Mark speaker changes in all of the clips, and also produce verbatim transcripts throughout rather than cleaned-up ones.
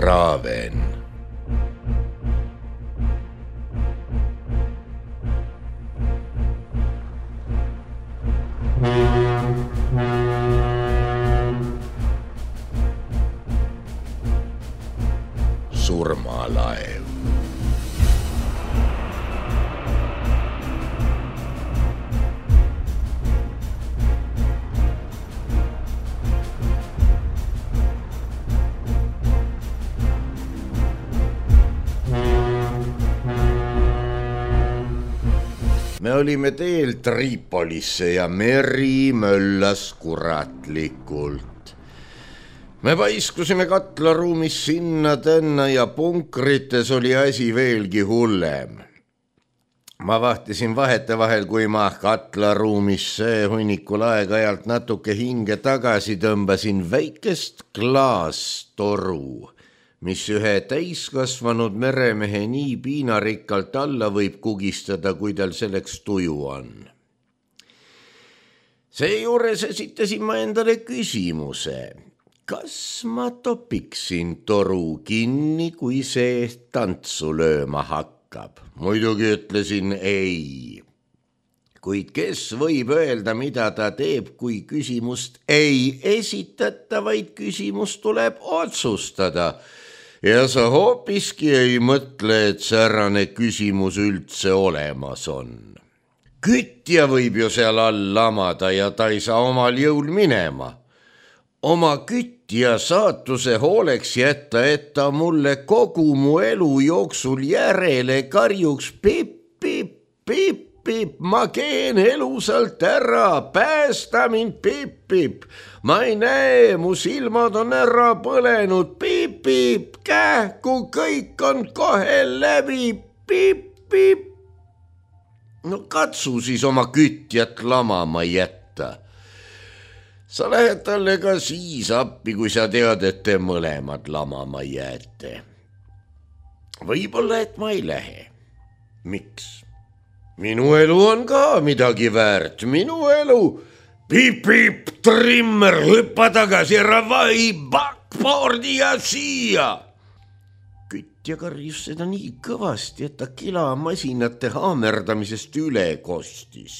Speaker 1: Raaven. Surmalaev. Me olime teel Tripolisse ja meri möllas kuratlikult. Me paiskusime katlaruumis sinna tänna ja punkrites oli asi veelgi hullem. Ma vahtisin vahetevahel, kui ma katlaruumisse hunnikul aeg-ajalt natuke hinge tagasi tõmbasin väikest klaastoru, mis ühe täiskasvanud meremehe nii piinarikkalt alla võib kugistada, kui tal selleks tuju on. Seejuures esitasin ma endale küsimuse, kas ma topiksin toru kinni, kui see tantsu lööma hakkab. Muidugi ütlesin ei. Kuid kes võib öelda, mida ta teeb, kui küsimust ei esitata, vaid küsimus tuleb otsustada. Ja sa hoopiski ei mõtle, et säärane küsimus üldse olemas on. Kütja võib ju seal all lamada ja ta ei saa omal jõul minema. Oma kütja saatuse hooleks jätta, et ta mulle kogu mu elu jooksul järele karjuks pip, pip, pip, pip, ma keen elusalt ära, päästa mind, pip, pip. Ma ei näe, mu silmad on ära põlenud, pip, pip, kähku kõik on kohe läbi, pip, pip. No katsu siis oma kütjat lamama jätta. Sa lähed talle ka siis appi, kui sa tead, et te mõlemad lamama jääte. Võib-olla, et ma ei lähe. Miks? Minu elu on ka midagi väärt, minu elu. Pip, pip, trimmer, hüppa tagasi, ravai, backboardi ja siia. Kütja karjus seda nii kõvasti, et ta kilamasinate haamerdamisest üle kostis.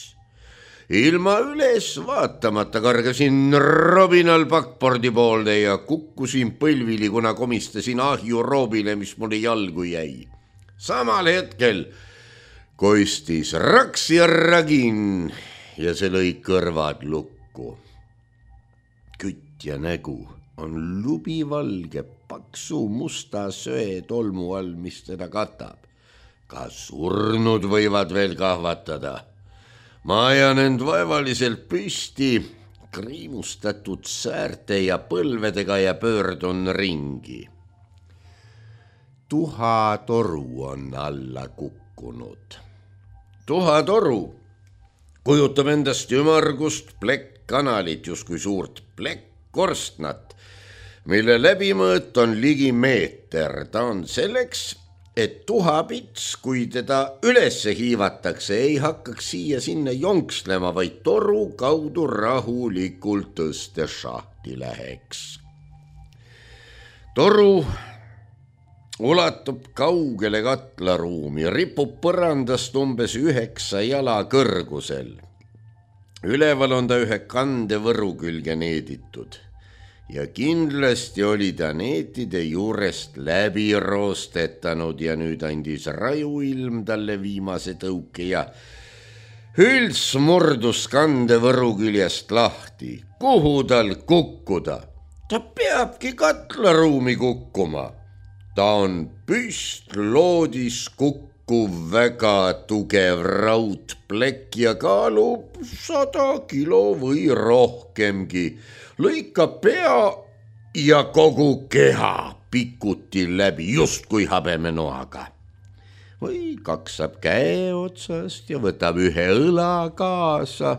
Speaker 1: Ilma üles vaatamata kargasin robinal backboardi poolde ja kukkusin põlvili, kuna komistasin ahju roobile, mis mulle jalgu jäi. Samal hetkel koistis raks ja ragin ja see lõi kõrvad lukku. Kütja nägu on lubivalge paksu musta söe tolmu all, mis teda katab. Ka surnud võivad veel kahvatada. Ma ajan end vaevaliselt püsti, kriimustatud säärte ja põlvedega ja pöördun ringi. Tuhatoru on alla kukkunud. Tuhatoru kujutab endast ümargust plekkkanalit, justkui suurt plekkkorstnat, mille läbimõõt on ligi meeter. Ta on selleks, et tuhapits, kui teda ülesse hiivatakse, ei hakkaks siia sinna jonkslema, vaid toru kaudu rahulikult tõste šahti läheks. Toru ulatub kaugele katlaruumi, ripub põrandast umbes üheksa jala kõrgusel. Üleval on ta ühe kandevõru külge needitud ja kindlasti oli ta neetide juurest läbi roostetanud ja nüüd andis rajuilm talle viimase tõuke ja hülts murdus kandevõru küljest lahti. Kuhu tal kukkuda? Ta peabki katlaruumi kukkuma. Ta on püstloodis kukkuv väga tugev raudplekk ja kaalub sada kilo või rohkemgi. Lõikab pea ja kogu keha pikuti läbi, just kui habemenoaga. Või kaksab käe otsast ja võtab ühe õla kaasa.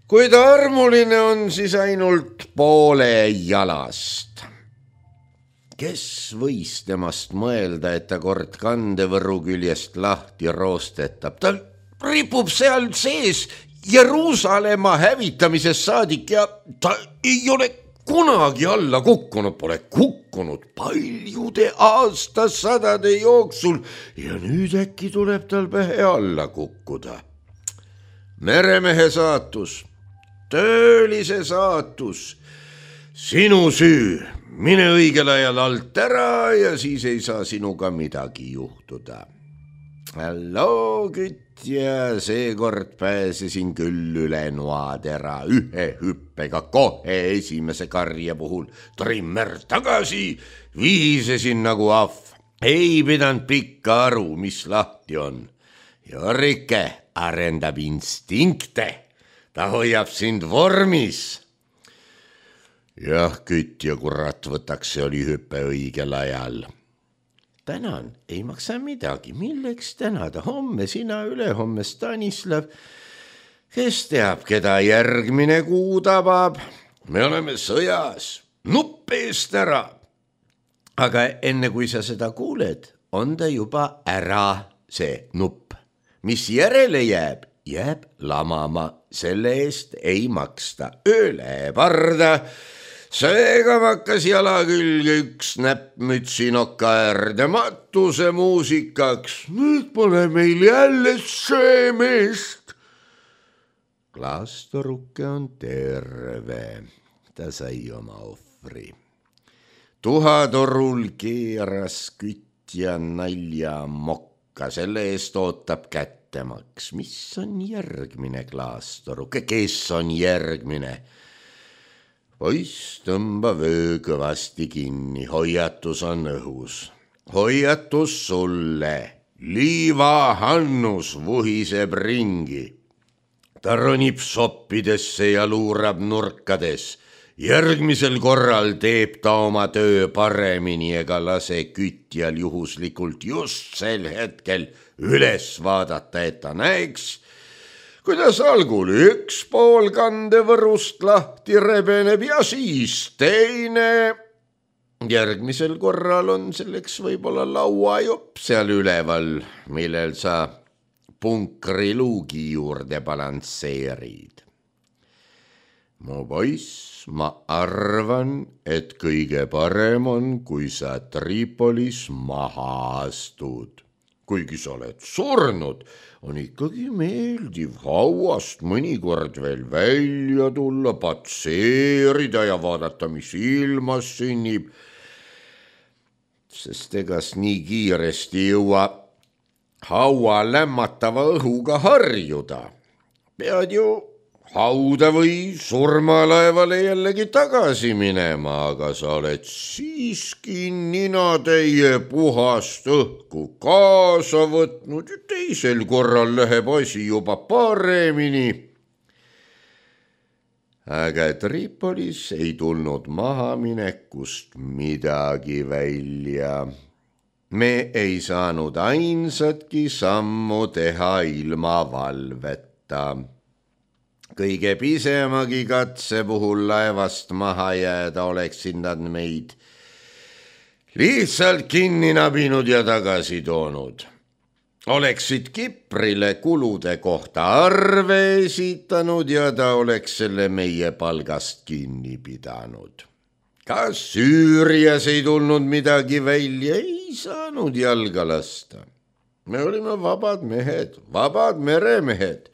Speaker 1: Kui ta armuline on, siis ainult poole jalast. Kes võis temast mõelda, et ta kord kandevõru küljest lahti roostetab? Ta ripub seal sees Jeruusalemma hävitamisest saadik ja ta ei ole kunagi alla kukkunud pole, kukkunud paljude aastasadade jooksul ja nüüd äkki tuleb tal pähe alla kukkuda. Meremehe saatus, töölise saatus, sinu süü, mine õigel ajal alt ära ja siis ei saa sinuga midagi juhtuda. Halloo, kütja, seekord pääsesin küll üle noatera ühe hüppega kohe esimese karja puhul. Trimmer tagasi, vihisesin nagu ahv. Ei pidanud pikka aru, mis lahti on. Jorrike arendab instinkte, ta hoiab sind vormis. Jah, kütja, kurat, võtaks see oli hüppe õigel ajal. Tänan, ei maksa midagi, milleks tänada, homme sina, ülehomme Stanislav. Kes teab, keda järgmine kuu tabab? Me oleme sõjas, nupp eest ära. Aga enne kui sa seda kuuled, on ta juba ära see nupp. Mis järele jääb, jääb lamama, selle eest ei maksta. Ööle parda. Seega makkas jala külge üks näppmütsi noka äärde matuse muusikaks. Nüüd pole meil jälle söömist. Klaastoruke on terve. Ta sai oma ohvri. Tuhatorul keeras kütja nalja mokka. Selle eest ootab kättemaks. Mis on järgmine, Klaastoruke? Kes on järgmine? Poiss, tõmba vöö kõvasti kinni, hoiatus on õhus. Hoiatus sulle, liivahannus vuhiseb ringi. Ta ronib soppidesse ja luurab nurkades. Järgmisel korral teeb ta oma töö paremini ega lase kütjal juhuslikult just sel hetkel üles vaadata, et ta näeks, kuidas algul üks pool kandevõrust lahti rebeneb ja siis teine. Järgmisel korral on selleks võib-olla lauajopp seal üleval, millel sa punkri luugi juurde balansseerid. Mu poiss, ma arvan, et kõige parem on, kui sa Tripolis maha astud. Kuigi sa oled surnud, on ikkagi meeldiv hauast mõnikord veel välja tulla, patseerida ja vaadata, mis ilmas sünnib. Sest egas nii kiiresti jõua haua lämmatava õhuga harjuda. Pead ju hauda või surmalaevale jällegi tagasi minema, aga sa oled siiski ninatäie puhast õhku kaasa võtnud ja teisel korral läheb asi juba paremini. Aga Tripolis ei tulnud mahaminekust midagi välja. Me ei saanud ainsatki sammu teha ilma valveta. Kõige pisemagi katse puhul laevast maha jääda oleksid nad meid lihtsalt kinni nabinud ja tagasi toonud. Oleksid Kiprile kulude kohta arve esitanud ja ta oleks selle meie palgast kinni pidanud. Kas Süürias ei tulnud midagi välja, ei saanud jalga lasta. Me olime vabad mehed, vabad meremehed.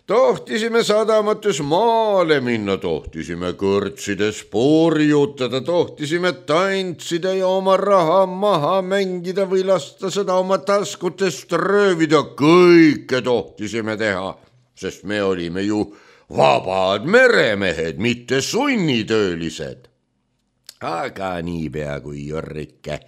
Speaker 1: Tohtisime sadamates maale minna, tohtisime kõrtsides poorjutada, tohtisime tantsida ja oma raha maha mängida või lasta seda oma taskutest röövida. Kõike tohtisime teha, sest me olime ju vabad meremehed, mitte sunnitöölised. Aga niipea kui Jorrike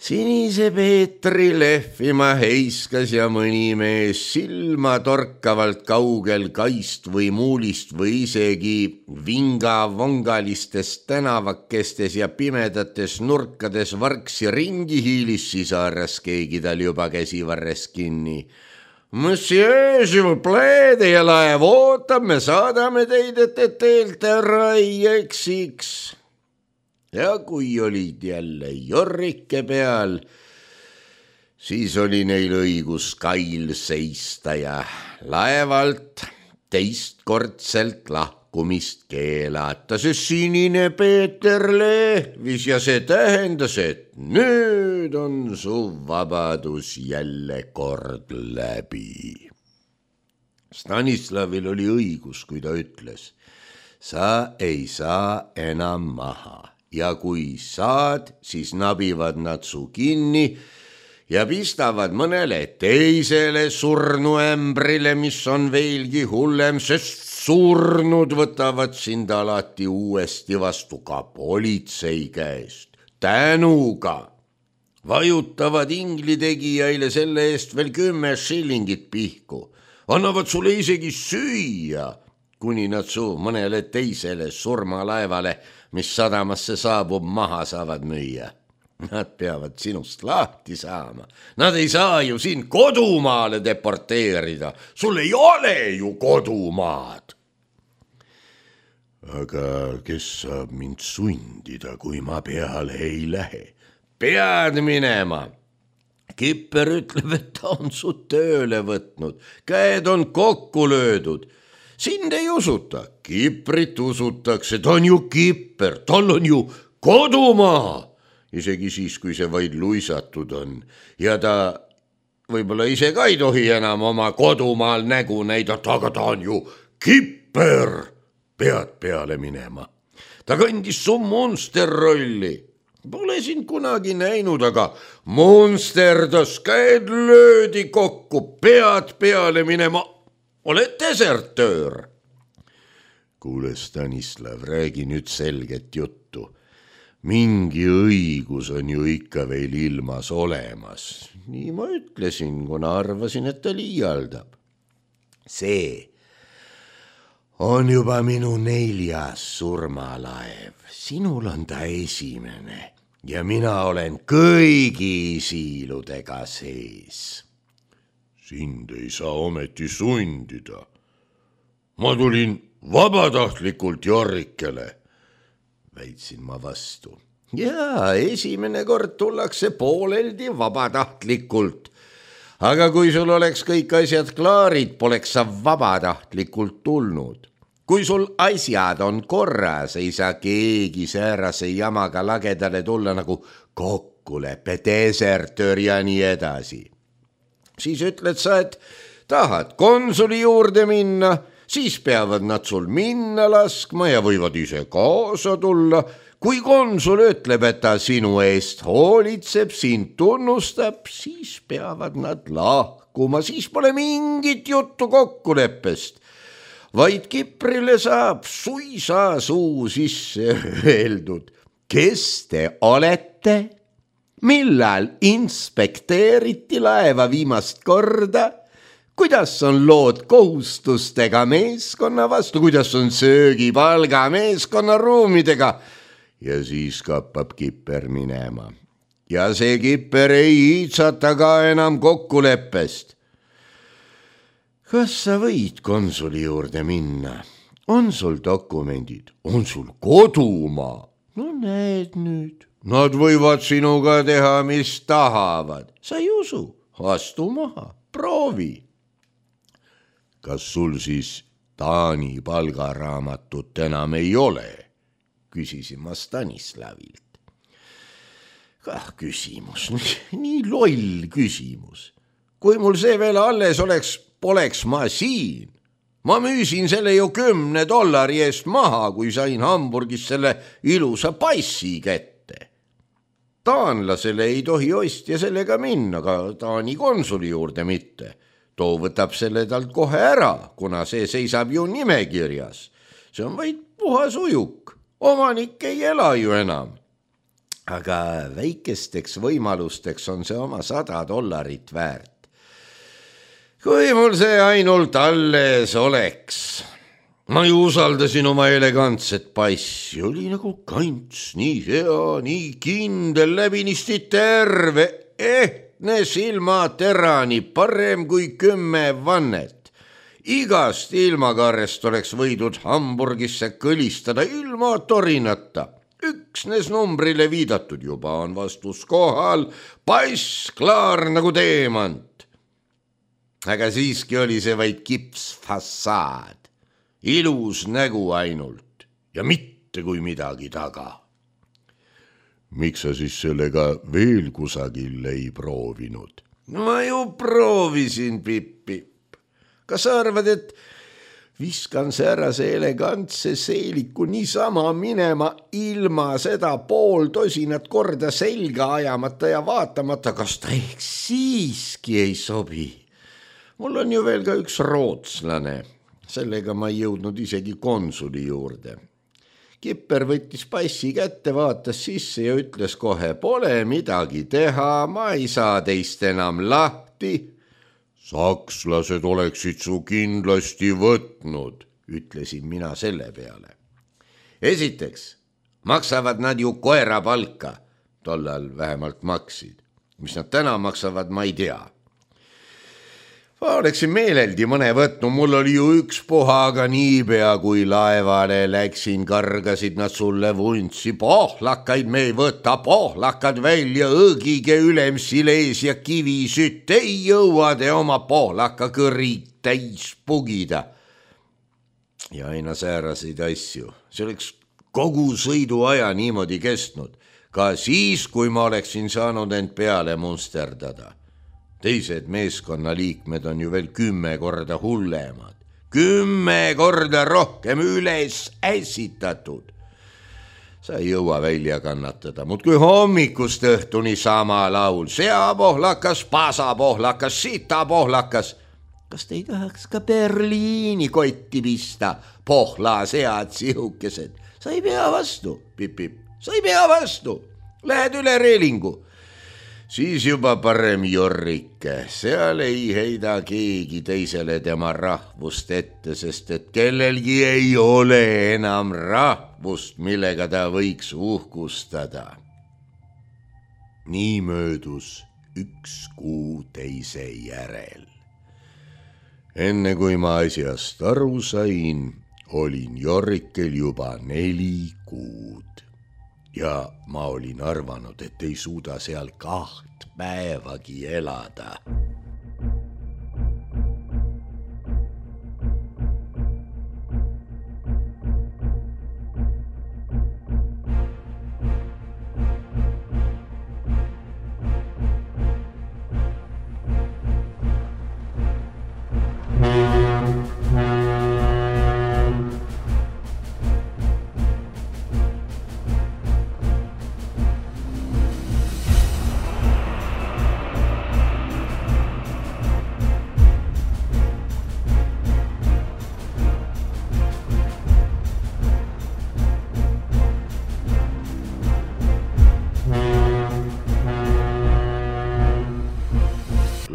Speaker 1: sinise Peetri lehvima heiskas ja mõni mees silma torkavalt kaugel kaist või muulist või isegi vinga-vongalistest tänavakestes ja pimedates nurkades varksi ringi hiilis, siis haaras keegi tal juba käsivarres kinni. Monsieur, s'il vous plaît, teie laev ootab, me saadame teid, et te teelt ära ei eksiks. Ja kui olid jälle Jorrike peal, siis oli neil õigus kail seista ja laevalt teistkordselt lahti lahkumist keelata, see sinine Peeter lehvis ja see tähendas, et nüüd on su vabadus jälle kord läbi. Stanislavil oli õigus, kui ta ütles, sa ei saa enam maha ja kui saad, siis nabivad nad su kinni ja pistavad mõnele teisele surnuämbrile, mis on veelgi hullem, sest surnud võtavad sind alati uuesti vastu ka politsei käest. Tänuga vajutavad inglitegijaile selle eest veel kümme shillingit pihku. Annavad sulle isegi süüa, kuni nad su mõnele teisele surmalaevale, mis sadamasse saabub, maha saavad müüa. Nad peavad sinust lahti saama. Nad ei saa ju sind kodumaale deporteerida. Sul ei ole ju kodumaad. Aga kes saab mind sundida, kui ma peale ei lähe? Pead minema. Kipper ütleb, et ta on su tööle võtnud. Käed on kokku löödud. Sind ei usuta. Kiprit usutakse. Ta on ju Kipper. Tal on ju kodumaa. Isegi siis, kui see vaid luisatud on ja ta võib-olla ise ka ei tohi enam oma kodumaal nägu näidata, aga ta on ju Kipper. Pead peale minema. Ta kandis su monster rolli. Pole sind kunagi näinud, aga monsterdas, käed löödi kokku, pead peale minema. Oled desertöör. Kuule, Stanislav, räägi nüüd selget juttu. Mingi õigus on ju ikka veel ilmas olemas. Nii ma ütlesin, kuna arvasin, et ta liialdab. See on juba minu neljas surmalaev. Sinul on ta esimene ja mina olen kõigi siiludega sees. Sind ei saa ometi sundida. Ma tulin vabatahtlikult Jorrikele. Väitsin ma vastu. Jaa, esimene kord tullakse pooleldi vabatahtlikult. Aga kui sul oleks kõik asjad klaarid, poleks sa vabatahtlikult tulnud. Kui sul asjad on korras, ei saa keegi säärase jamaga lagedale tulla nagu kokkulepe, desertöör ja nii edasi. Siis ütled sa, et tahad konsuli juurde minna, siis peavad nad sul minna laskma ja võivad ise kaasa tulla. Kui konsul ütleb, et ta sinu eest hoolitseb, sind tunnustab, siis peavad nad lahkuma, siis pole mingit juttu kokkuleppest. Vaid Kiprile saab suisa suu sisse öeldud. Kes te olete? Millal inspekteeriti laeva viimast korda? Kuidas on lood kohustustega meeskonna vastu, kuidas on söögipalga meeskonna ruumidega? Ja siis kappab Kipper minema. Ja see Kipper ei iitsata ka enam kokkuleppest. Kas sa võid konsuli juurde minna? On sul dokumendid? On sul kodumaa? No näed nüüd. Nad võivad sinuga teha, mis tahavad. Sa ei usu? Astu maha, proovi. Kas sul siis Taani palgaraamatut enam ei ole? Küsisin ma Stanislavilt. Kah küsimus, nii loll küsimus. Kui mul see veel alles oleks, poleks ma siin. Ma müüsin selle ju kümne dollari eest maha, kui sain Hamburgis selle ilusa passi kätte. Taanlasele ei tohi ostja sellega minna, ka Taani konsuli juurde mitte. Too võtab selle talt kohe ära, kuna see seisab ju nimekirjas. See on vaid puhas ujuk. Omanik ei ela ju enam. Aga väikesteks võimalusteks on see oma sada dollarit väärt. Kui mul see ainult alles oleks. Ma ju usaldasin oma elegantset passi. Oli nagu kants, nii hea, nii kindel, läbinisti terve. Ehtne silmaterani, parem kui kümme vannet. Igast ilmakarrest oleks võidud Hamburgisse kõlistada ilma torinata. Üksnes numbrile viidatud juba on vastus kohal, pass klaar nagu teemant. Aga siiski oli see vaid kipsfassaad. ilus nägu ainult ja mitte kui midagi taga. Miks sa siis sellega veel kusagil ei proovinud? Ma ju proovisin, Pipp-Pipp. Kas sa arvad, et viskan säärase elegantse seeliku niisama minema ilma seda pool tosinat korda selga ajamata ja vaatamata, kas ta ehk siiski ei sobi? Mul on ju veel ka üks rootslane. Sellega ma ei jõudnud isegi konsuli juurde. Kipper võttis passi kätte, vaatas sisse ja ütles kohe, pole midagi teha, ma ei saa teist enam lahti. Sakslased oleksid su kindlasti võtnud, ütlesin mina selle peale. Esiteks, maksavad nad ju koera palka, tollal vähemalt maksid. Mis nad täna maksavad, ma ei tea. Ma oleksin meeleldi mõne võtnud, mul oli ju üks puha, aga niipea kui laevale läksin, kargasid nad sulle vuntsi. Pohlakaid me ei võta, pohlakad välja, õgige ülemsilees ja kivisütt, ei jõua te oma pohlaka kõrid täis pugida. Ja aina sääraseid asju. See oleks kogu sõiduaja niimoodi kestnud, ka siis, kui ma oleksin saanud end peale munsterdada. Teised meeskonnaliikmed on ju veel kümme korda hullemad. Kümme korda rohkem üles ässitatud. Sa ei jõua välja kannatada, mut kui hommikust õhtuni sama laul. Seapohlakas, pasapohlakas, sitapohlakas. Kas te ei tahaks ka Berliini kotti pista? Pohla sead sihukesed. Sa ei pea vastu, Pipp-Pipp. Sa ei pea vastu. Lähed üle reelingu. Siis juba parem Jorrike, seal ei heida keegi teisele tema rahvust ette, sest et kellelgi ei ole enam rahvust, millega ta võiks uhkustada. Nii möödus üks kuu teise järel. Enne kui ma asjast aru sain, olin Jorrikel juba neli kuud. Ja ma olin arvanud, et ei suuda seal kaht päevagi elada.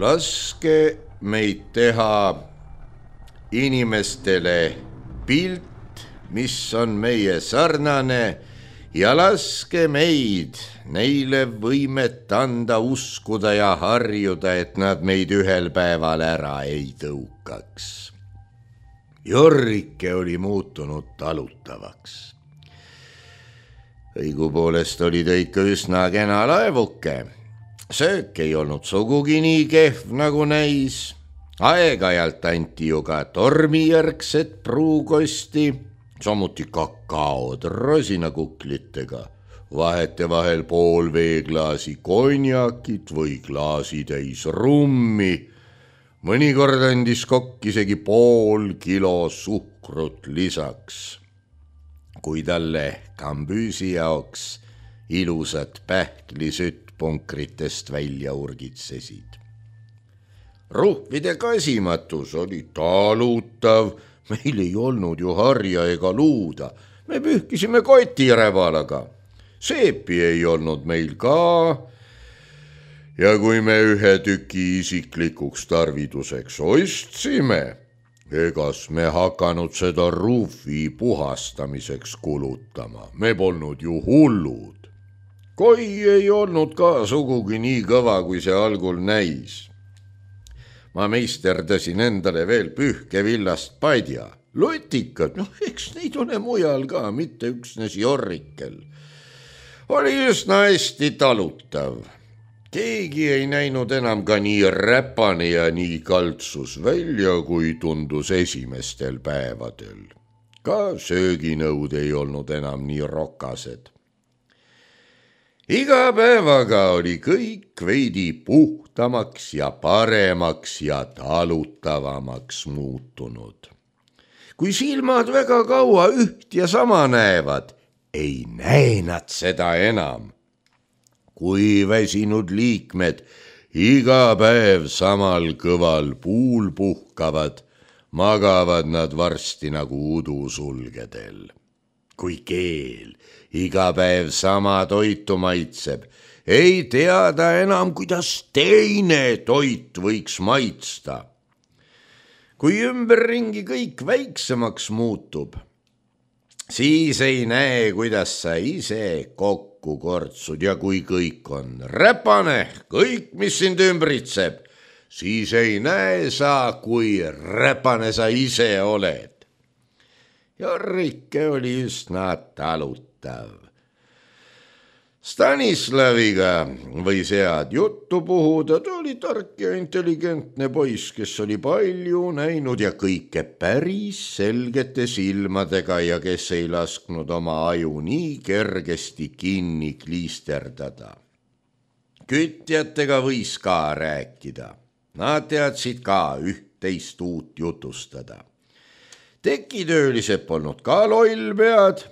Speaker 1: Laske meid teha inimestele pilt, mis on meie sarnane, ja laske meid neile võimet anda uskuda ja harjuda, et nad meid ühel päeval ära ei tõukaks. Jorrike oli muutunud talutavaks. Õigupoolest oli ta ikka üsna kena laevuke. Söök ei olnud sugugi nii kehv nagu näis. Aeg-ajalt anti ju ka tormijärgset pruukosti, samuti kakaod rosinakuklitega, vahete vahel pool veeklaasi konjakit või klaasi täis rummi. Mõnikord andis kokk isegi pool kilo suhkrut lisaks. Kui talle kambüüsi jaoks ilusad pähklisütt punkritest välja urgitsesid. Ruhvide kasimatus oli talutav, meil ei olnud ju harja ega luuda, me pühkisime kotirebalaga, seepi ei olnud meil ka, ja kui me ühe tüki isiklikuks tarviduseks ostsime, egas me hakanud seda ruhvi puhastamiseks kulutama, me polnud ju hullud. Koi ei olnud ka sugugi nii kõva, kui see algul näis. Ma meisterdasin endale veel pühkevillast padja. Lutikad, noh, eks neid ole mujal ka, mitte üksnes Jorrikel. Oli üsna hästi talutav. keegi ei näinud enam ka nii räpane ja nii kaltsus välja, kui tundus esimestel päevadel. Ka sööginõud ei olnud enam nii rokased. Iga päevaga oli kõik veidi puhtamaks ja paremaks ja talutavamaks muutunud. Kui silmad väga kaua üht ja sama näevad, ei näe nad seda enam. Kui väsinud liikmed iga päev samal kõval puul puhkavad, magavad nad varsti nagu udusulgedel. Kui keel iga päev sama toitu maitseb, ei teada enam, kuidas teine toit võiks maitsta. Kui ümberringi kõik väiksemaks muutub, siis ei näe, kuidas sa ise kokku kortsud ja kui kõik on räpane, kõik, mis sind ümbritseb, siis ei näe sa, kui räpane sa ise oled. Jarrike oli üsna talutav. Stanislaviga võis head juttu puhuda, ta oli tark ja intelligentne poiss, kes oli palju näinud ja kõike päris selgete silmadega ja kes ei lasknud oma aju nii kergesti kinni kliisterdada. Kütjatega võis ka rääkida. Nad teadsid ka üht-teist uut jutustada. Tekitöölised polnud ka lollpead.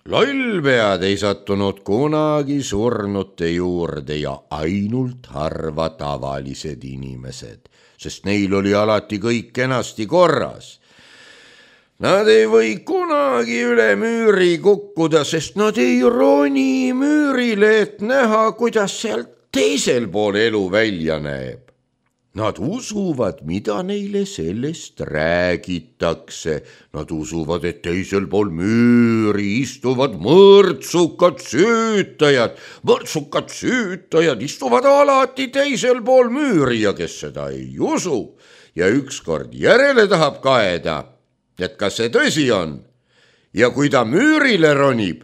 Speaker 1: Lollpead ei sattunud kunagi surnute juurde ja ainult harva tavalised inimesed, sest neil oli alati kõik kenasti korras. Nad ei või kunagi üle müüri kukkuda, sest nad ei roni müürile, et näha, kuidas sealt teisel pool elu välja näeb. Nad usuvad, mida neile sellest räägitakse. Nad usuvad, et teisel pool müüri istuvad mõrtsukad süütajad. Mõrtsukad süütajad istuvad alati teisel pool müüri ja kes seda ei usu ja ükskord järele tahab kaeda, et kas see tõsi on. Ja kui ta müürile ronib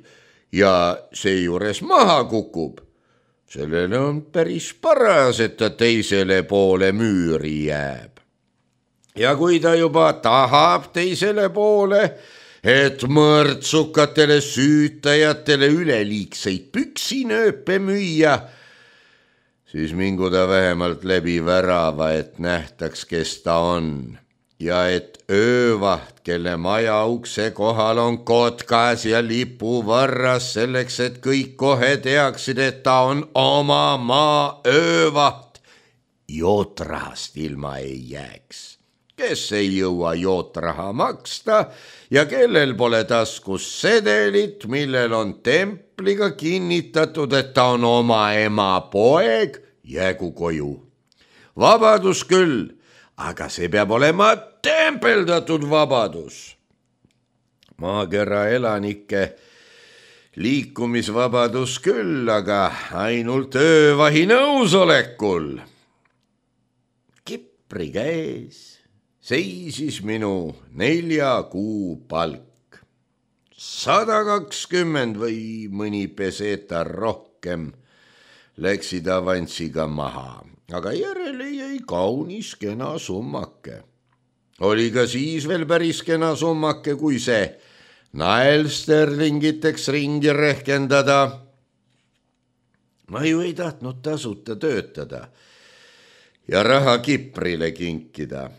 Speaker 1: ja seejuures maha kukub, sellele on päris paras, et ta teisele poole müüri jääb. Ja kui ta juba tahab teisele poole, et mõrtsukatele süütajatele üleliigseid püksinööpe müüa, siis mingu ta vähemalt läbi värava, et nähtaks, kes ta on. Ja et öövaht, kelle maja ukse kohal on kotkas ja lipuvarras selleks, et kõik kohe teaksid, et ta on oma maa öövaht, jootrahast ilma ei jääks. Kes ei jõua jootraha maksta ja kellel pole taskus sedelit, millel on templiga kinnitatud, et ta on oma ema poeg, jäägu koju. Vabadus küll, aga see peab olema tempeldatud vabadus. Maakera elanike liikumisvabadus küll, aga ainult öövahi nõusolekul. Kipri käes seisis minu nelja kuu palk. Sada kakskümmend või mõni peseta rohkem läksid avansiga maha, aga järele jäi kaunis kena summake. Oli ka siis veel päris kena summake, kui see naelsterlingiteks ringi rehkendada. Ma ju ei tahtnud tasuta töötada ja raha Kiprile kinkida.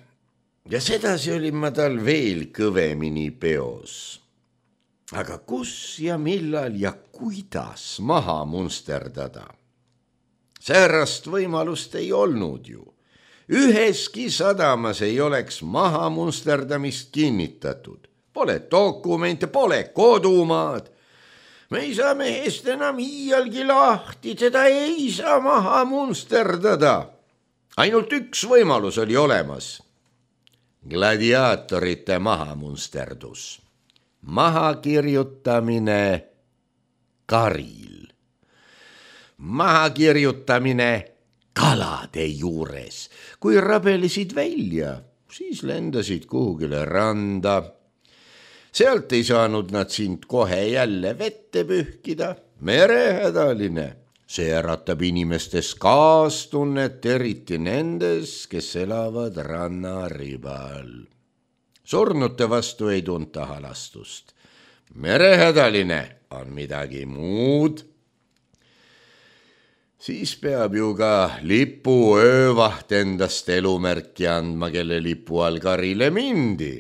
Speaker 1: Ja sedasi olin ma tal veel kõvemini peos. Aga kus ja millal ja kuidas maha munsterdada? Säärast võimalust ei olnud ju. Üheski sadamas ei oleks maha munsterdamist kinnitatud. Pole dokumente, pole kodumaad. Me ei saa mehest enam iialgi lahti, teda ei saa maha munsterdada. Ainult üks võimalus oli olemas. Gladiaatorite maha munsterdus. Maha kirjutamine karil. Maha kirjutamine kalade juures. Kui rabelesid välja, siis lendasid kuhugile randa. Sealt ei saanud nad sind kohe jälle vette pühkida. Merehädaline. see äratab inimestes kaastunnet, eriti nendes, kes elavad rannaribal. Surnute vastu ei tunta halastust. Merehädaline on midagi muud. Siis peab ju ka lipu öövaht endast elumärki andma, kelle lipu all karile mindi.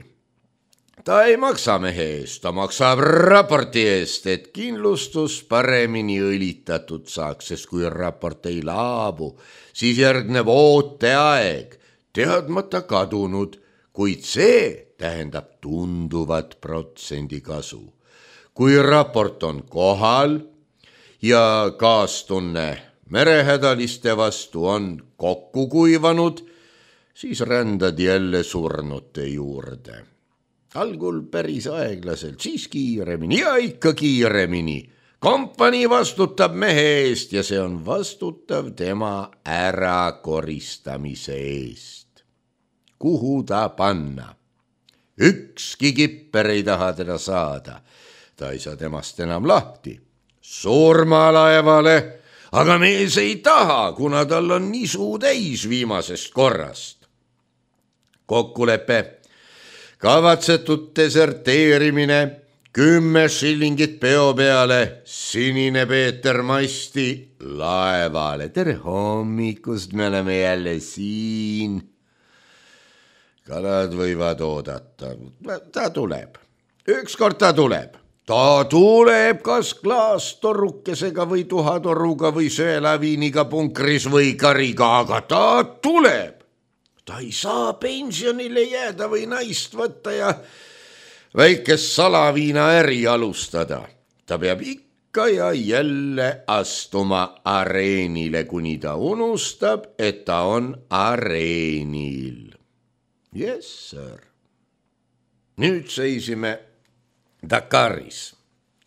Speaker 1: Ta ei maksa mehe eest, ta maksab raporti eest, et kindlustus paremini õlitatud saaks, sest kui raport ei laabu, siis järgneb ooteaeg, teadmata kadunud, kuid see tähendab tunduvat protsendi kasu. Kui raport on kohal ja kaastunne merehädaliste vastu on kokku kuivanud, siis rändad jälle surnute juurde. Algul päris aeglaselt, siis kiiremini ja ikka kiiremini. Kompanii vastutab mehe eest ja see on vastutav tema ärakoristamise eest. Kuhu ta panna? Ükski kipper ei taha teda saada. Ta ei saa temast enam lahti. Surmalaevale, aga mees ei taha, kuna tal on nisu täis viimasest korrast. Kokkulepe, kavatsetud deserteerimine, kümme shillingit peo peale, sinine Peeter Masti laevale. Tere hommikust, me oleme jälle siin. Kalad võivad oodata, ta tuleb, ükskord ta tuleb. Ta tuleb kas klaastorukesega või tuhatoruga või söelaviiniga punkris või kariga, aga ta tuleb. Ta ei saa pensionile jääda või naist võtta ja väikest salaviina äri alustada. Ta peab ikka ja jälle astuma areenile, kuni ta unustab, et ta on areenil. Yes, sir. Nüüd seisime Dakaris,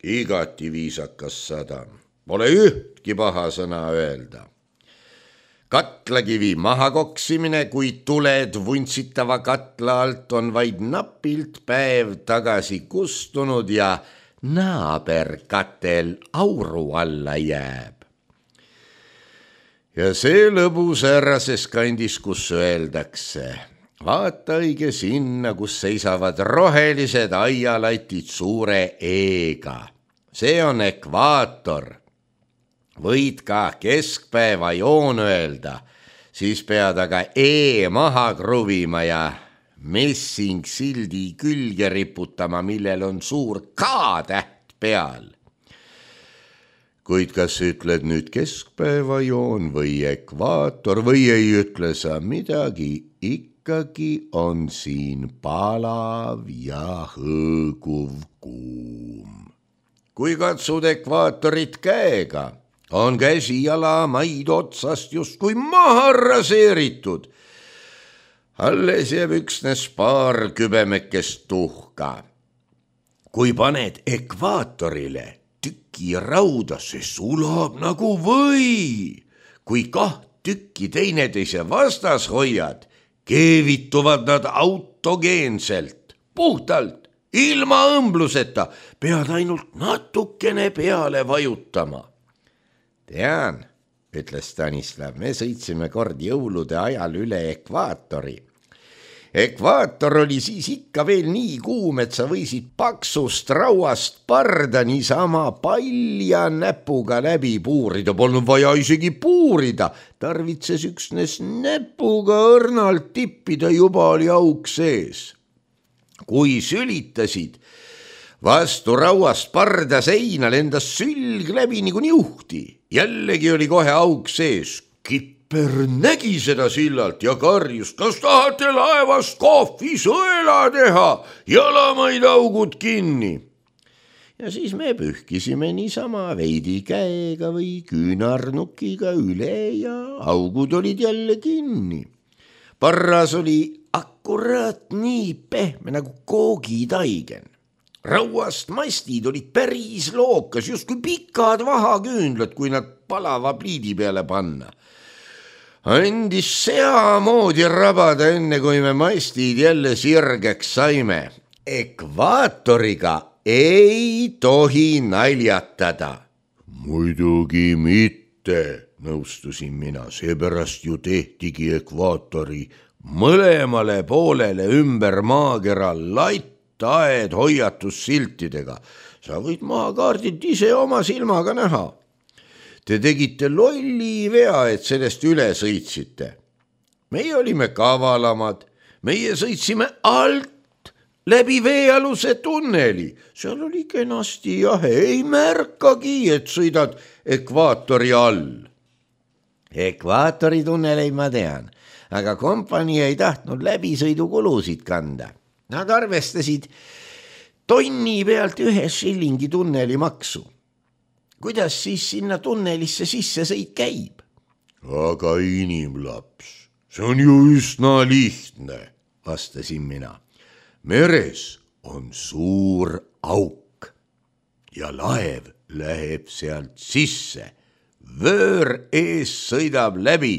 Speaker 1: igati viisakas sadam, pole ühtki paha sõna öelda. Katlakivi maha koksimine, kui tuled vuntsitava katla alt on vaid napilt päev tagasi kustunud ja naaberkatel auru alla jääb. Ja see lõbus ärases kandis, kus öeldakse, vaata õige sinna, kus seisavad rohelised aialatid suure eega. See on ekvaator. Võid ka keskpäeva joon öelda, siis pead aga E maha kruvima ja messing sildi külge riputama, millel on suur K-täht peal. Kuid kas ütled nüüd keskpäeva joon või ekvaator või ei ütle sa midagi, ikkagi on siin palav ja hõõguv kuum. Kui katsud ekvaatorit käega, on käsi jala maid otsast justkui maha raseeritud. Alles jääb üksnes paar kübemekest tuhka. Kui paned ekvaatorile tüki rauda, see sulab nagu või. Kui kaht tükki teineteise vastas hoiad, keevituvad nad autogeenselt, puhtalt, ilma õmbluseta, pead ainult natukene peale vajutama. Tean, ütles Stanislav, me sõitsime kord jõulude ajal üle ekvaatori. Ekvaator oli siis ikka veel nii kuum, et sa võisid paksust rauast parda niisama palja näpuga läbi puurida. Polnud vaja isegi puurida, tarvitses üksnes näpuga õrnalt tippida, juba oli auk sees. Kui sülitasid vastu rauast parda seina, lendas sülg läbi nagu niuhti. Jällegi oli kohe auk sees. Kipper nägi seda sillalt ja karjus, kas tahate laevast kohvi sõela teha, jalamaid augud kinni. Ja siis me pühkisime niisama veidi käega või küünarnukiga üle ja augud olid jälle kinni. Parras oli akkuraat nii pehme nagu koogitaigen. Rauast mastid olid päris lookas, justkui pikad vahaküünlad, kui nad palava pliidi peale panna. Andis seamoodi rabada, enne kui me mastid jälle sirgeks saime. Ekvaatoriga ei tohi naljatada. Muidugi mitte. mitte, nõustusin mina, seepärast ju tehtigi ekvaatori mõlemale poolele ümber maakera lattaed hoiatussiltidega. Sa võid maakaardilt ise oma silmaga näha. Te tegite lolli vea, et sellest üle sõitsite. Meie olime kavalamad, meie sõitsime alt läbi veealuse tunneli. Seal oli kenasti jahe, ei märkagi, et sõidad ekvaatori all. Ekvaatori tunneleid ma tean, aga kompanii ei tahtnud läbisõidukulusid kanda. Nad arvestasid tonni pealt ühe šillingi tunneli maksu. Kuidas siis sinna tunnelisse sisse sõit käib? Aga inimlaps, see on ju üsna lihtne, vastasin mina. Meres on suur auk ja laev läheb sealt sisse. Vöör ees sõidab läbi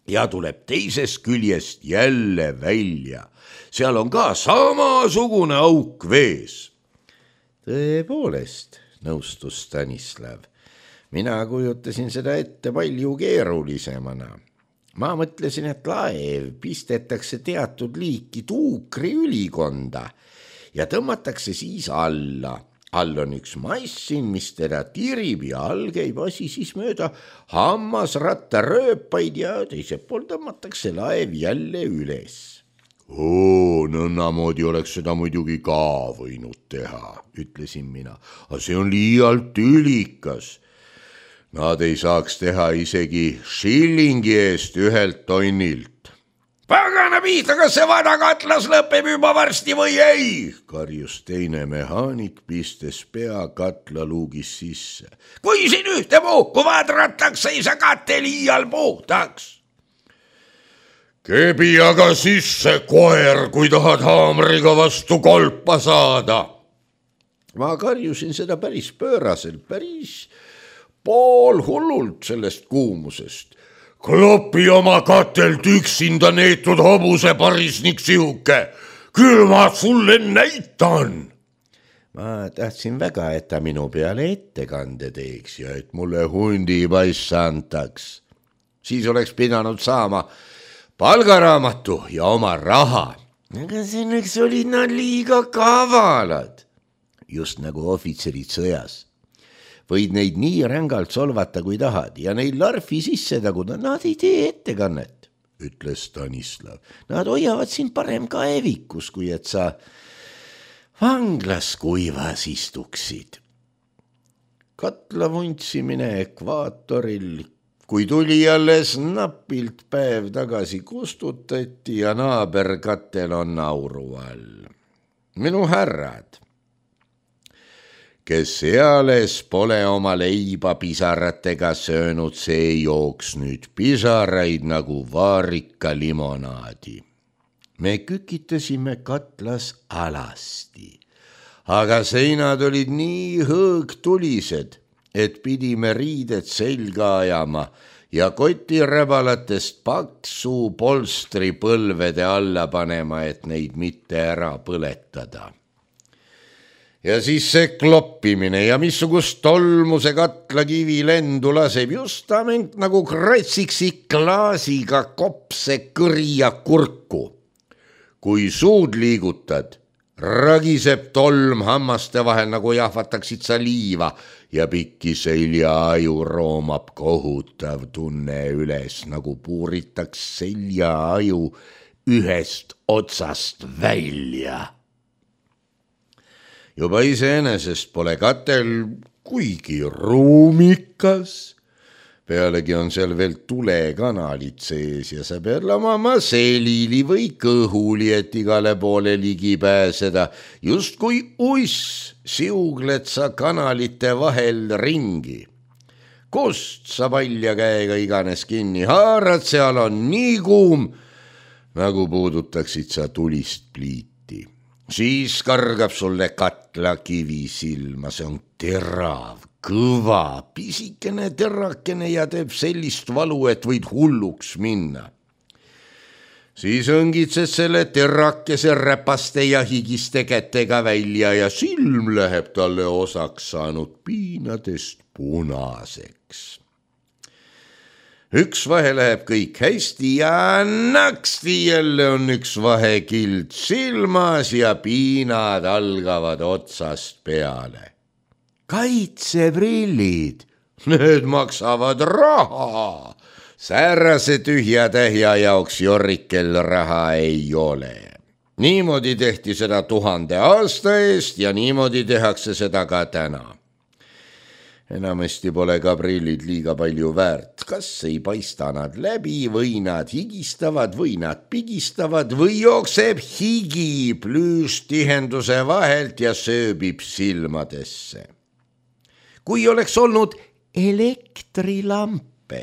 Speaker 1: ja tuleb teisest küljest jälle välja. Seal on ka samasugune auk vees. Tõepoolest, nõustus Stanislav. Mina kujutasin seda ette palju keerulisemana. Ma mõtlesin, et laev pistetakse teatud liiki tuukri ülikonda ja tõmmatakse siis alla. All on üks massin, mis teda tirib ja all käib asi siis mööda hammasratta rööpaid ja teiselt pool tõmmatakse laev jälle üles. Oo, nõnnamoodi oleks seda muidugi ka võinud teha, ütlesin mina. Aga see on liialt ülikas. Nad ei saaks teha isegi šillingi eest ühelt tonnilt. Pagana pihta, kas see vana katlas lõpeb juba varsti või ei? Karjus teine mehaanik, pistes pea katlaluugis sisse. Kui siin ühte puhku vadratakse, ei saa kate liial puhtaks. Kebi aga sisse, koer, kui tahad haamriga vastu kolpa saada. Ma karjusin seda päris pööraselt, päris pool hullult sellest kuumusest. Klopi oma katelt üksinda neetud hobuse parisnik sihuke, küll ma sulle näitan. Ma tahtsin väga, et ta minu peale ettekande teeks ja et mulle hundi paissa antaks. Siis oleks pidanud saama palgaraamatu ja oma raha. Aga selleks olid nad liiga kavalad. Just nagu ohvitserid sõjas. Võid neid nii rängalt solvata, kui tahad, ja neid larfi sisse taguda, nad ei tee ettekannet, ütles Stanislav. Nad hoiavad sind parem kaevikus, kui et sa vanglas kuivas istuksid. Katla vuntsimine ekvaatoril, kui tuli alles napilt päev tagasi kustutati ja naaberkatel on nauru all. Minu härrad, kes eales pole oma leiba pisaratega söönud, see jooks nüüd pisaraid nagu vaarika limonaadi. Me kükitasime katlas alasti, aga seinad olid nii hõõgtulised, et pidime riided selga ajama ja kotiräbalatest paksu polstri põlvede alla panema, et neid mitte ära põletada. Ja siis see kloppimine ja missugust tolmu see katlakivi lendu laseb justament nagu kratsiksi klaasiga kopse kõrja kurku. Kui suud liigutad, ragiseb tolm hammaste vahel nagu jahvataksid sa liiva ja pikki seljaaju roomab kohutav tunne üles, nagu puuritaks seljaaju ühest otsast välja. Juba iseenesest pole katel kuigi ruumikas. Pealegi on seal veel tulekanalit sees ja sa pead lamama selili või kõhuli, et igale poole ligi pääseda. Just kui uss siugled sa kanalite vahel ringi. Kust sa palja käega iganes kinni haarad, seal on nii kuum, nagu puudutaksid sa tulist pliiti. Siis kargab sulle katla kivi silma, see on terav, kõva, pisikene terakene ja teeb sellist valu, et võid hulluks minna. Siis õngitsed selle terakese räpaste ja higiste kätega välja ja silm läheb talle osaks saanud piinadest punaseks. üks vahe läheb kõik hästi ja naksti jälle on üks vahekild silmas ja piinad algavad otsast peale. Kaitseprillid, need maksavad raha. Säärase tühja tähja jaoks Jorrikel raha ei ole. Niimoodi tehti seda tuhande aasta eest ja niimoodi tehakse seda ka täna. Enamasti pole ka prillid liiga palju väärt, kas ei paista nad läbi või nad higistavad või nad pigistavad või jookseb higi plüüstihenduse vahelt ja sööbib silmadesse. Kui oleks olnud elektrilampe,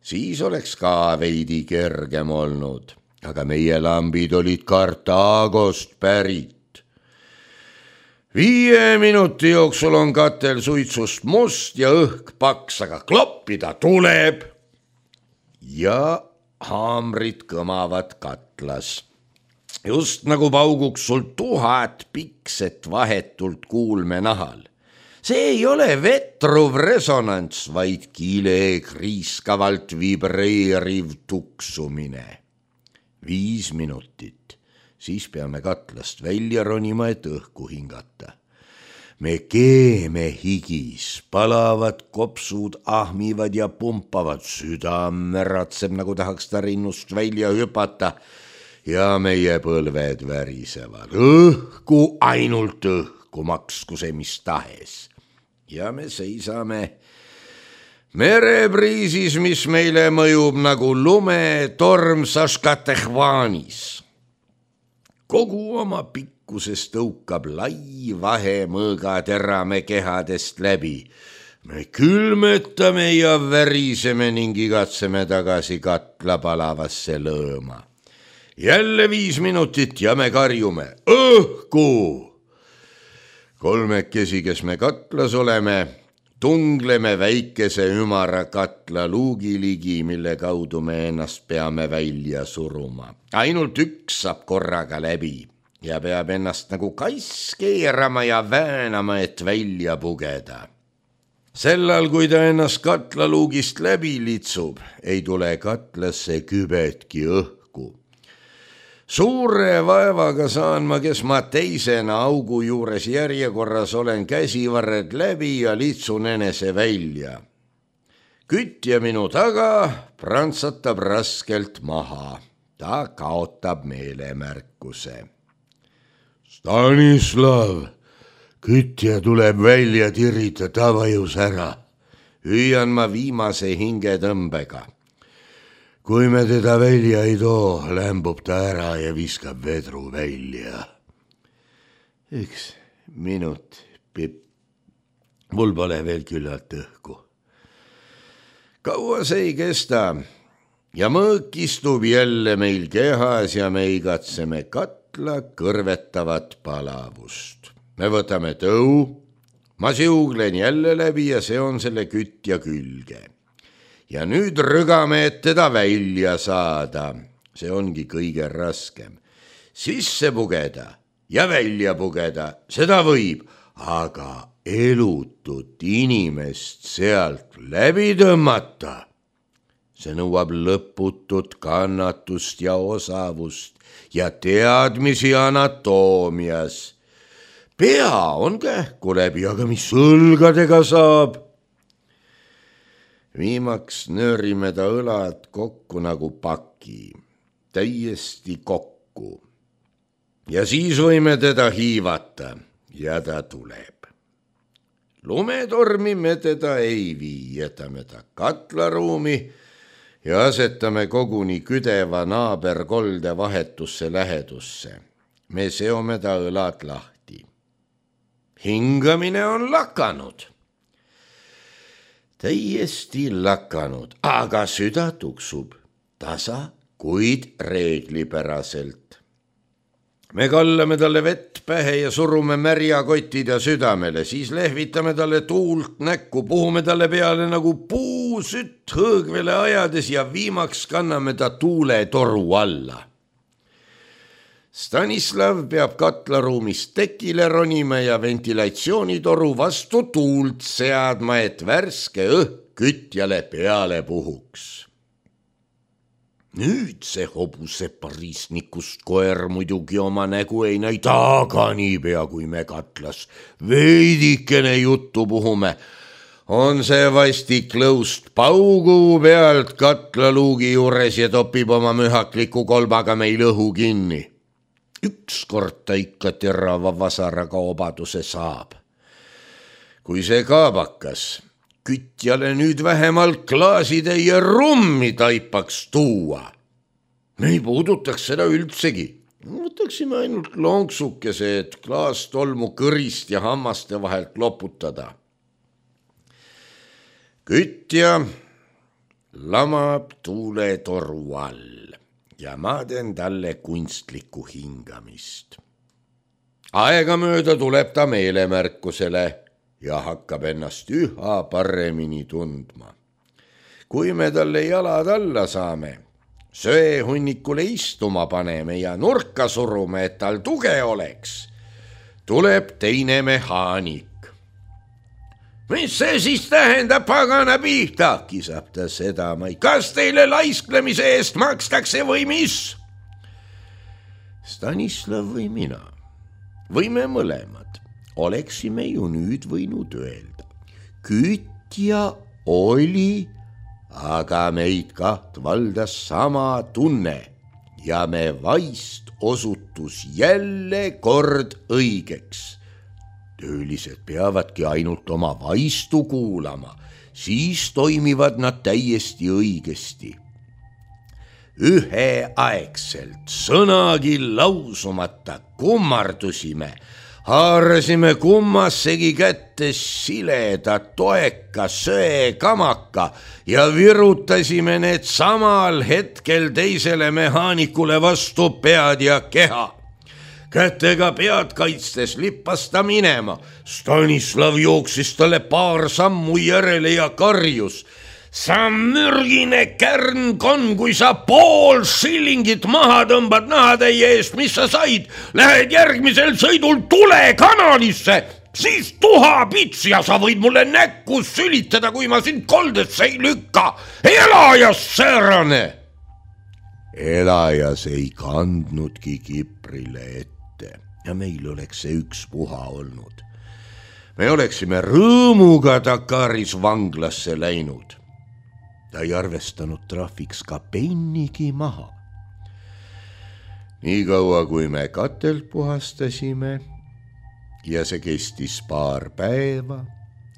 Speaker 1: siis oleks ka veidi kergem olnud, aga meie lambid olid Kartaagost pärit. Viie minuti jooksul on katel suitsust must ja õhk paks, aga kloppida tuleb. Ja haamrid kõmavad katlas. Just nagu pauguks sul tuhat pikset vahetult kuulme nahal. See ei ole vetruv resonants, vaid kile kriiskavalt vibreeriv tuksumine. Viis minutit. Siis peame katlast välja ronima, et õhku hingata. Me keeme higis, palavad kopsud, ahmivad ja pumpavad, südame ratseb, nagu tahaks ta rinnust välja hüpata ja meie põlved värisevad. Õhku, ainult õhku, maksku see mis tahes. Ja me seisame merepriisis, mis meile mõjub nagu lumetorm Saskatchewanis. Kogu oma pikkuses tõukab lai vahe mõõgatera me kehadest läbi. Me külmetame ja väriseme ning igatseme tagasi katla palavasse lõõma. Jälle viis minutit ja me karjume õhku. Kolmekesi, kes me katlas oleme, tungleme väikese ümara katla luugi ligi, mille kaudu me ennast peame välja suruma. Ainult üks saab korraga läbi ja peab ennast nagu kass keerama ja väänama, et välja pugeda. Sellal, kui ta ennast katla luugist läbi litsub, ei tule katlasse kübetki õhku. Suure vaevaga saan ma, kes ma teisena augu juures järjekorras olen, käsivarred läbi ja litsun enese välja. Kütja minu taga prantsatab raskelt maha. Ta kaotab meelemärkuse. Stanislav, kütja tuleb välja tirita, ta vajus ära. Hüüan ma viimase hingetõmbega. Kui me teda välja ei too, lämbub ta ära ja viskab vedru välja. Üks minut, Pipp. Mul pole veel küllalt õhku. Kaua see ei kesta ja mõõk istub jälle meil kehas ja me igatseme katla kõrvetavat palavust. Me võtame tõu, ma siuglen jälle läbi ja see on selle kütja külge. Ja nüüd rügame, et teda välja saada. See ongi kõige raskem. Sisse pugeda ja välja pugeda, seda võib, aga elutut inimest sealt läbi tõmmata. See nõuab lõputut kannatust ja osavust ja teadmisi anatoomias. Pea on kähku läbi, aga mis õlgadega saab? Viimaks nöörime ta õlad kokku nagu paki, täiesti kokku. Ja siis võime teda hiivata ja ta tuleb. Lumetormi me teda ei vii, jätame ta katlaruumi ja asetame koguni küdeva naaberkolde vahetusse lähedusse. Me seome ta õlad lahti. Hingamine on lakanud. Täiesti lakanud, aga süda tuksub tasa, kuid reeglipäraselt. Me kallame talle vett pähe ja surume märjakotid ja südamele, siis lehvitame talle tuult näkku, puhume talle peale nagu puusütt hõõgvele ajades ja viimaks kanname ta tuuletoru alla. Stanislav peab katlaruumist tekile ronima ja ventilatsioonitoru vastu tuult seadma, et värske õhk kütjale peale puhuks. Nüüd see hobuse parisnikust koer muidugi oma nägu ei näita, aga niipea kui me katlas veidikene juttu puhume, on see vastik lõust paugu pealt katlaluugi juures ja topib oma mühakliku kolbaga meil õhu kinni. Ükskord ta ikka terava vasaraga obaduse saab. Kui see kaabakas kütjale nüüd vähemalt klaasitäie rummi taipaks tuua, me ei puudutaks seda üldsegi. Võtaksime ainult lonksukese, et klaastolmu kõrist ja hammaste vahelt loputada. Kütja lamab tuuletoru all ja ma teen talle kunstlikku hingamist. Aegamööda tuleb ta meelemärkusele ja hakkab ennast üha paremini tundma. Kui me talle jalad alla saame, söehunnikule istuma paneme ja nurka surume, et tal tuge oleks, tuleb teine mehaanik. Mis see siis tähendab, pagana pihta, kisab ta sedamai. Kas teile laisklemise eest makstakse või mis? Stanislav või mina, või me mõlemad, oleksime ju nüüd võinud öelda. Kütja oli, aga meid kaht valdas sama tunne ja me vaist osutus jälle kord õigeks. Töölised peavadki ainult oma vaistu kuulama, siis toimivad nad täiesti õigesti. Üheaegselt sõnagi lausumata kummardusime, haarasime kummassegi kätte sileda, toeka, söekamaka ja virutasime need samal hetkel teisele mehaanikule vastu pead ja keha. Kätega pead kaitstes lippas ta minema. Stanislav jooksis talle paar sammu järele ja karjus. Sa mürgine kärnkon, kui sa pool shillingit maha tõmbad nahatäie eest, mis sa said, lähed järgmisel sõidul tulekanalisse, siis tuha pits ja sa võid mulle näkku sülitada, kui ma sind koldesse ei lükka. Elajas säärane! Elajas ei kandnudki Kiprile ette. Ja meil oleks see ükspuha olnud. Me oleksime rõõmuga Dakaris vanglasse läinud. Ta ei arvestanud trahviks ka pennigi maha. Nii kaua, kui me katelt puhastasime ja see kestis paar päeva,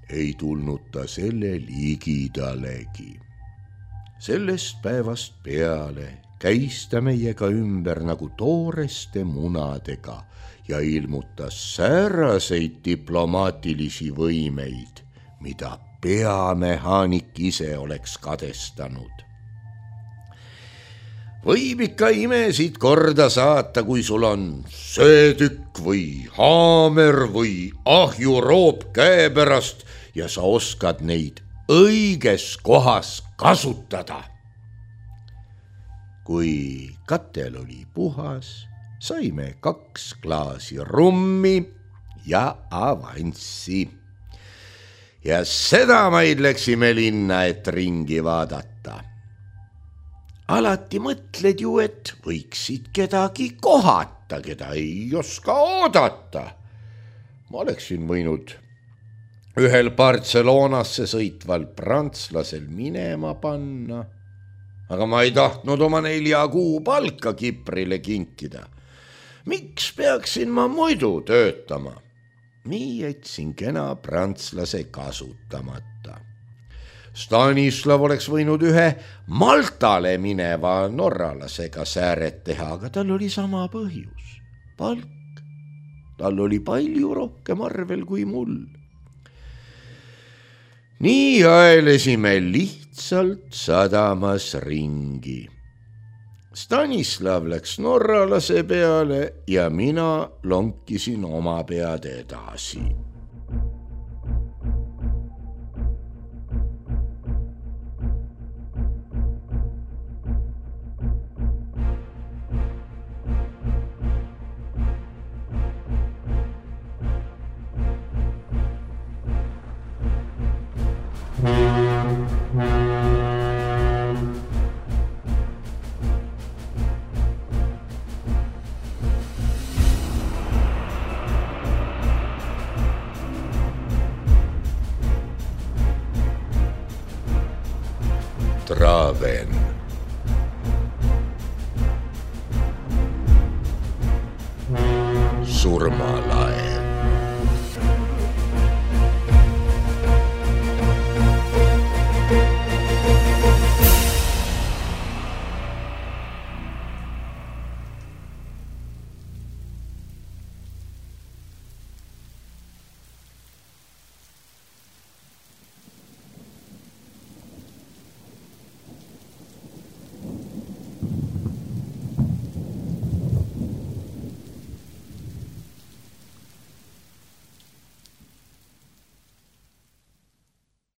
Speaker 1: ei tulnud ta selle ligidalegi. Sellest päevast peale käis ta meiega ümber nagu tooreste munadega ja ilmutas sääraseid diplomaatilisi võimeid, mida peamehaanik ise oleks kadestanud. Võib ikka imesid korda saata, kui sul on söötükk või haamer või ahjuroop käepärast ja sa oskad neid õiges kohas kasutada. Kui katel oli puhas, saime kaks klaasi rummi ja avanssi. Ja sedamaid läksime linna, et ringi vaadata. Alati mõtled ju, et võiksid kedagi kohata, keda ei oska oodata. Ma oleksin võinud ühel Barcelonasse sõitval prantslasel minema panna, aga ma ei tahtnud oma nelja kuu palka Kiprile kinkida. Miks peaksin ma muidu töötama? Nii jätsin kena prantslase kasutamata. Stanislav oleks võinud ühe Maltale mineva norralasega sääret teha, aga tal oli sama põhjus. Palk. Tal oli palju rohkem arvel kui mul. Nii aelesime lihtsalt sadamas ringi. Stanislav läks norralase peale ja mina lonkisin oma pead edasi.
Speaker 2: Thank you.
Speaker 1: surmalaul.